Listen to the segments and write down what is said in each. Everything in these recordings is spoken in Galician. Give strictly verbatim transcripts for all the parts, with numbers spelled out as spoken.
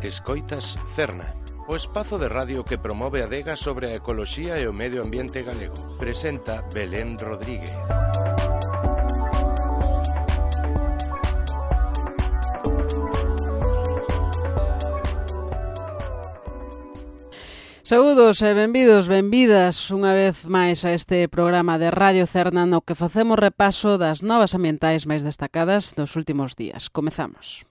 Escoitas Cerna, o espazo de radio que promove a adega sobre a ecoloxía e o medio ambiente galego. Presenta Belén Rodríguez. Saúdos e benvidos, benvidas unha vez máis a este programa de Radio Cerna no que facemos repaso das novas ambientais máis destacadas dos últimos días. Comezamos.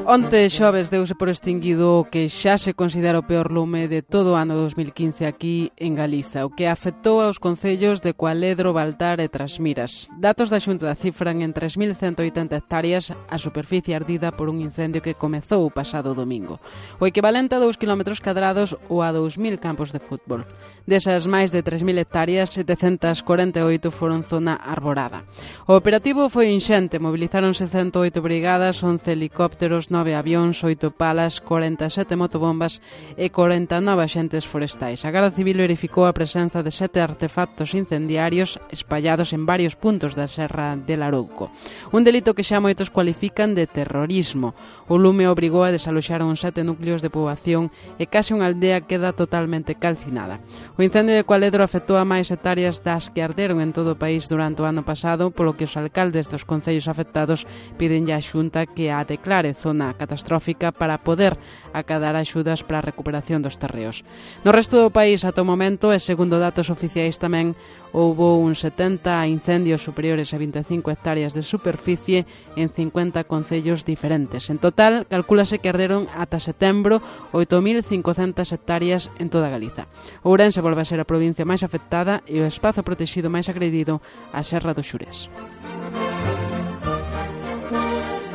Onte xoves deuse por extinguido o que xa se considera o peor lume de todo o ano dos mil quince aquí en Galiza, o que afectou aos concellos de Cualedro, Baltar e Trasmiras. Datos da Xunta cifran en tres mil cento oitenta hectáreas a superficie ardida por un incendio que comezou o pasado domingo, o equivalente a dous kilómetros cadrados ou a dous mil campos de fútbol. Desas máis de tres mil hectáreas, setecentas corenta e oito foron zona arborada. O operativo foi inxente, mobilizáronse cento oito brigadas, once helicópteros, nove avións, oito palas, corenta e sete motobombas e corenta e nove axentes forestais. A Garda Civil verificou a presenza de sete artefactos incendiarios espallados en varios puntos da Serra de Larouco. Un delito que xa moitos cualifican de terrorismo. O lume obrigou a desaloxar uns sete núcleos de poboación e case unha aldea queda totalmente calcinada. O incendio de Cualedro afectou a máis hectáreas das que arderon en todo o país durante o ano pasado, polo que os alcaldes dos concellos afectados piden á Xunta que a declare zona catastrófica para poder acadar axudas para a recuperación dos terreos. No resto do país, ata o momento, e segundo datos oficiais tamén, houbo uns setenta incendios superiores a vinte e cinco hectáreas de superficie en cincuenta concellos diferentes. En total, calcúlase que arderon ata setembro oito mil cincocentas hectáreas en toda Galiza. Ourense volve a ser a provincia máis afectada e o espazo protegido máis agredido, a Serra do Xurés.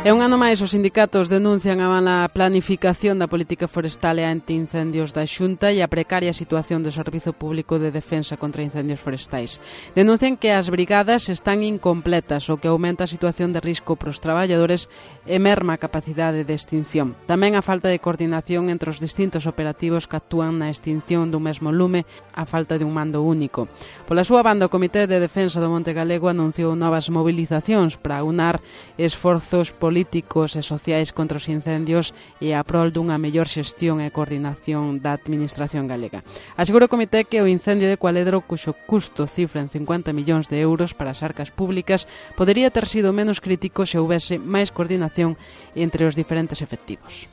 E un ano máis os sindicatos denuncian a mala planificación da política forestal e antiincendios da Xunta e a precaria situación do Servizo Público de Defensa contra Incendios Forestais. Denuncian que as brigadas están incompletas, o que aumenta a situación de risco para os traballadores e merma a capacidade de extinción. Tamén a falta de coordinación entre os distintos operativos que actúan na extinción do mesmo lume, a falta de un mando único. Pola súa banda, o Comité de Defensa do Monte Galego anunciou novas mobilizacións para unar esforzos políticos políticos e sociais contra os incendios e a prol dunha mellor xestión e coordinación da administración galega. Asegura o comité que o incendio de Cualedro, cuxo custo cifra en cincuenta millóns de euros para as arcas públicas, podería ter sido menos crítico se houvese máis coordinación entre os diferentes efectivos.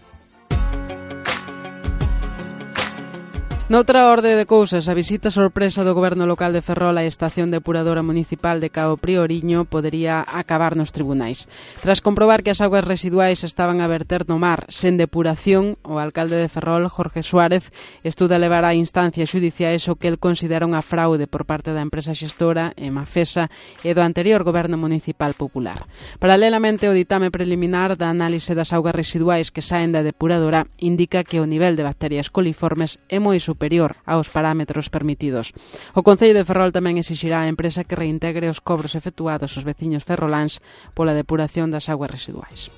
Noutra orde de cousas, a visita sorpresa do Goberno local de Ferrol á estación depuradora municipal de Cabo Prioriño podería acabar nos tribunais. Tras comprobar que as augas residuais estaban a verter no mar sen depuración, o alcalde de Ferrol, Jorge Suárez, estuda levar a instancias xudiciais o que el considera unha fraude por parte da empresa xestora, Emafesa, e do anterior Goberno municipal popular. Paralelamente, o ditame preliminar da análise das augas residuais que saen da depuradora indica que o nivel de bacterias coliformes é moi superior superior aos parámetros permitidos. O Concello de Ferrol tamén exixirá á empresa que reintegre os cobros efectuados aos veciños ferroláns pola depuración das augas residuais.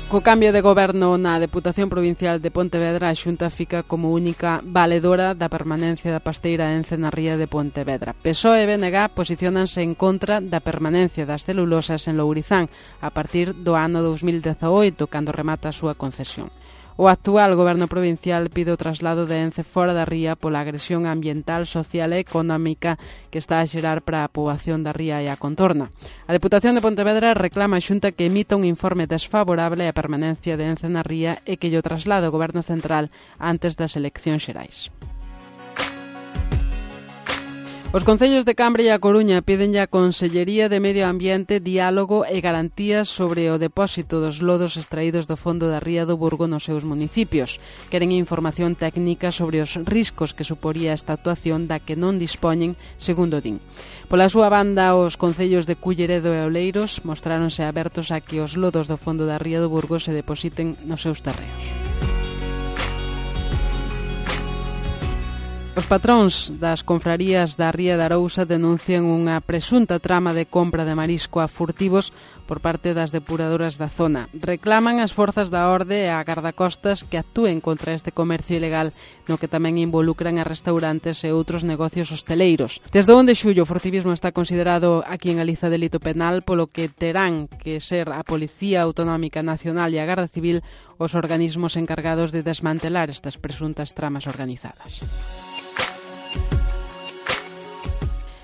Co cambio de goberno na Deputación Provincial de Pontevedra, a Xunta fica como única valedora da permanencia da pasteira Ence na ría de Pontevedra. P S O E e B N G posiciónanse en contra da permanencia das celulosas en Lourizán a partir do ano dos mil dezaoito, cando remata a súa concesión. O actual goberno provincial pide o traslado de Ence fora da ría pola agresión ambiental, social e económica que está a xerar para a poboación da ría e a contorna. A Deputación de Pontevedra reclama a Xunta que emita un informe desfavorable á permanencia de Ence na ría e que lle traslade o goberno central antes das eleccións xerais. Os concellos de Cambre e A Coruña piden á Consellería de Medio Ambiente diálogo e garantías sobre o depósito dos lodos extraídos do fondo da ría do Burgo nos seus municipios. Queren información técnica sobre os riscos que suporía esta actuación da que non dispoñen, segundo din. Pola súa banda, os concellos de Culleredo e Oleiros mostráronse abertos a que os lodos do fondo da ría do Burgo se depositen nos seus terreos. Os patróns das confrarías da Ría de Arousa denuncian unha presunta trama de compra de marisco a furtivos por parte das depuradoras da zona. Reclaman as forzas da orde e a gardacostas que actúen contra este comercio ilegal, no que tamén involucran a restaurantes e outros negocios hosteleiros. Desde onde xullo o furtivismo está considerado aquí en Galiza delito penal, polo que terán que ser a Policía Autonómica Nacional e a Garda Civil os organismos encargados de desmantelar estas presuntas tramas organizadas.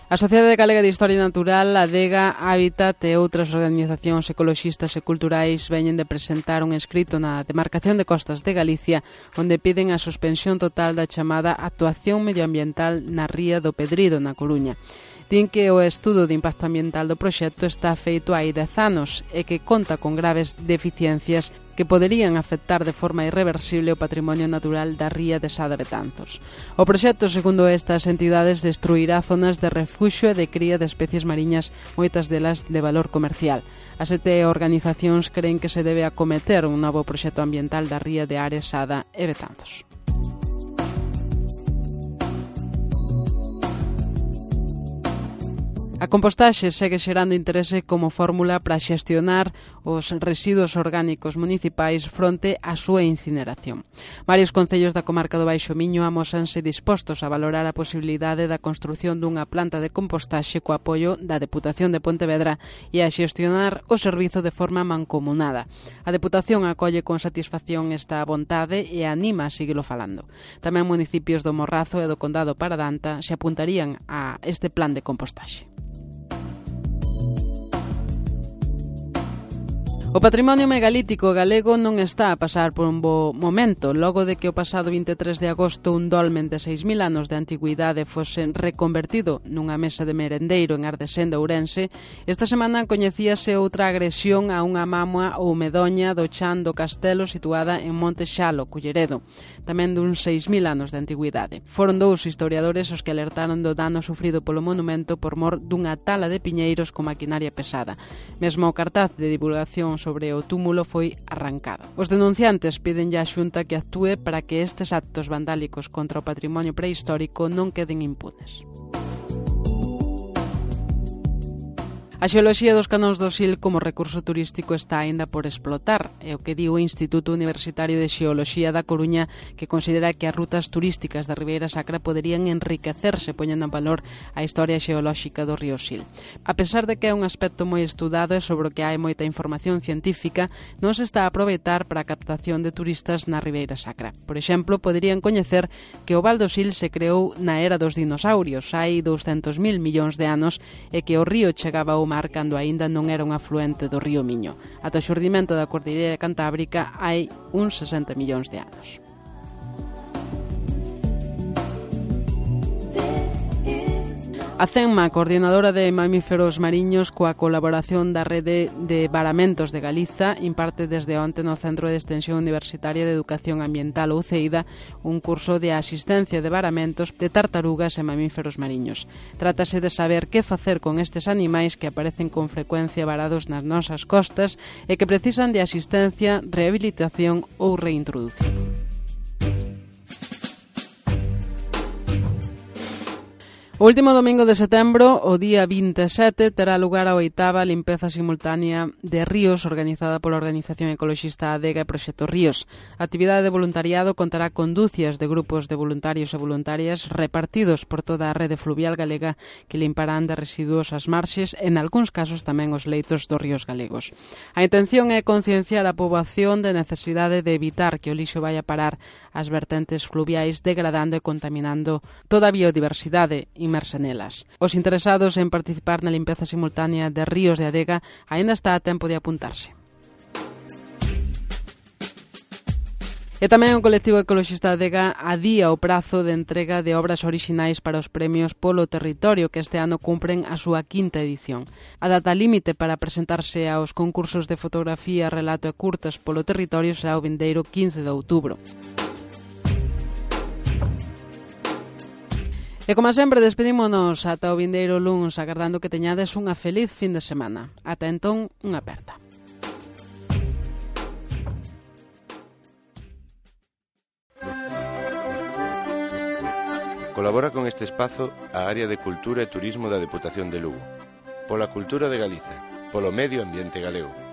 A Sociedade Galega de Historia Natural, a Adega, Hábitat e outras organizacións ecoloxistas e culturais veñen de presentar un escrito na Demarcación de Costas de Galicia onde piden a suspensión total da chamada actuación medioambiental na Ría do Pedrido, na Coruña. Din que o estudo de impacto ambiental do proxecto está feito hai dez anos e que conta con graves deficiencias que poderían afectar de forma irreversible o patrimonio natural da ría de Sada Betanzos. O proxecto, segundo estas entidades, destruirá zonas de refuxio e de cría de especies mariñas, moitas delas de valor comercial. As sete organizacións creen que se debe acometer un novo proxecto ambiental da ría de Ares, Sada e Betanzos. A compostaxe segue xerando interese como fórmula para xestionar os residuos orgánicos municipais fronte á súa incineración. Varios concellos da comarca do Baixo Miño amósanse dispostos a valorar a posibilidade da construción dunha planta de compostaxe co apoio da Deputación de Pontevedra e a xestionar o servizo de forma mancomunada. A Deputación acolle con satisfacción esta vontade e anima a seguilo falando. Tamén municipios do Morrazo e do Condado Paradanta se apuntarían a este plan de compostaxe. O patrimonio megalítico galego non está a pasar por un bo momento, logo de que o pasado vinte e tres de agosto un dolmen de seis mil anos de antigüidade fose reconvertido nunha mesa de merendeiro en Ardesén de Ourense. Esta semana coñecíase outra agresión a unha mámoa ou medoña do chan do castelo situada en Monte Xalo, Culleredo, tamén dun seis mil anos de antigüidade. Foron dous historiadores os que alertaron do dano sufrido polo monumento por mor dunha tala de piñeiros con maquinaria pesada. Mesmo o cartaz de divulgación sobre o túmulo foi arrancado. Os denunciantes piden á Xunta que actúe para que estes actos vandálicos contra o patrimonio prehistórico non queden impunes. A xeoloxía dos canóns do Sil como recurso turístico está aínda por explotar, é o que di o Instituto Universitario de Xeoloxía da Coruña, que considera que as rutas turísticas da Ribeira Sacra poderían enriquecerse poñendo en valor a historia xeolóxica do río Sil. A pesar de que é un aspecto moi estudado e sobre o que hai moita información científica, non se está a aproveitar para a captación de turistas na Ribeira Sacra. Por exemplo, poderían coñecer que o Val do Sil se creou na era dos dinosaurios, hai douscentos mil millóns de anos, e que o río chegaba ao mar cando aínda non era un afluente do río Miño. Ata o xurdimento da Cordilleira Cantábrica hai uns sesenta millóns de anos. A CENMA, coordinadora de mamíferos mariños coa colaboración da Rede de Varamentos de Galiza, imparte desde onte no Centro de Extensión Universitaria de Educación Ambiental ou CEIDA un curso de asistencia de varamentos de tartarugas e mamíferos mariños. Trátase de saber que facer con estes animais que aparecen con frecuencia varados nas nosas costas e que precisan de asistencia, rehabilitación ou reintroducción. O último domingo de setembro, o día vinte e sete, terá lugar a oitava limpeza simultánea de ríos organizada pola organización ecoloxista Adega e Proxecto Ríos. A actividade de voluntariado contará con dúcias de grupos de voluntarios e voluntarias repartidos por toda a rede fluvial galega que limparán de residuos as marxes e, en algúns casos, tamén os leitos dos ríos galegos. A intención é concienciar a poboación de necesidade de evitar que o lixo vai a parar ás vertentes fluviais, degradando e contaminando toda a biodiversidade inmersa nelas. Os interesados en participar na limpeza simultánea de ríos de Adega aínda está a tempo de apuntarse. E tamén o colectivo ecoloxista Adega adía o prazo de entrega de obras orixinais para os premios polo territorio que este ano cumpren a súa quinta edición. A data límite para presentarse aos concursos de fotografía, relato e curtas polo territorio será o vindeiro quince de outubro. E como sempre, despedímonos ata o vindeiro luns, agardando que teñades unha feliz fin de semana. Ata entón, unha aperta. Colabora con este espazo a Área de Cultura e Turismo da Deputación de Lugo. Pola cultura de Galiza, polo medio ambiente galego.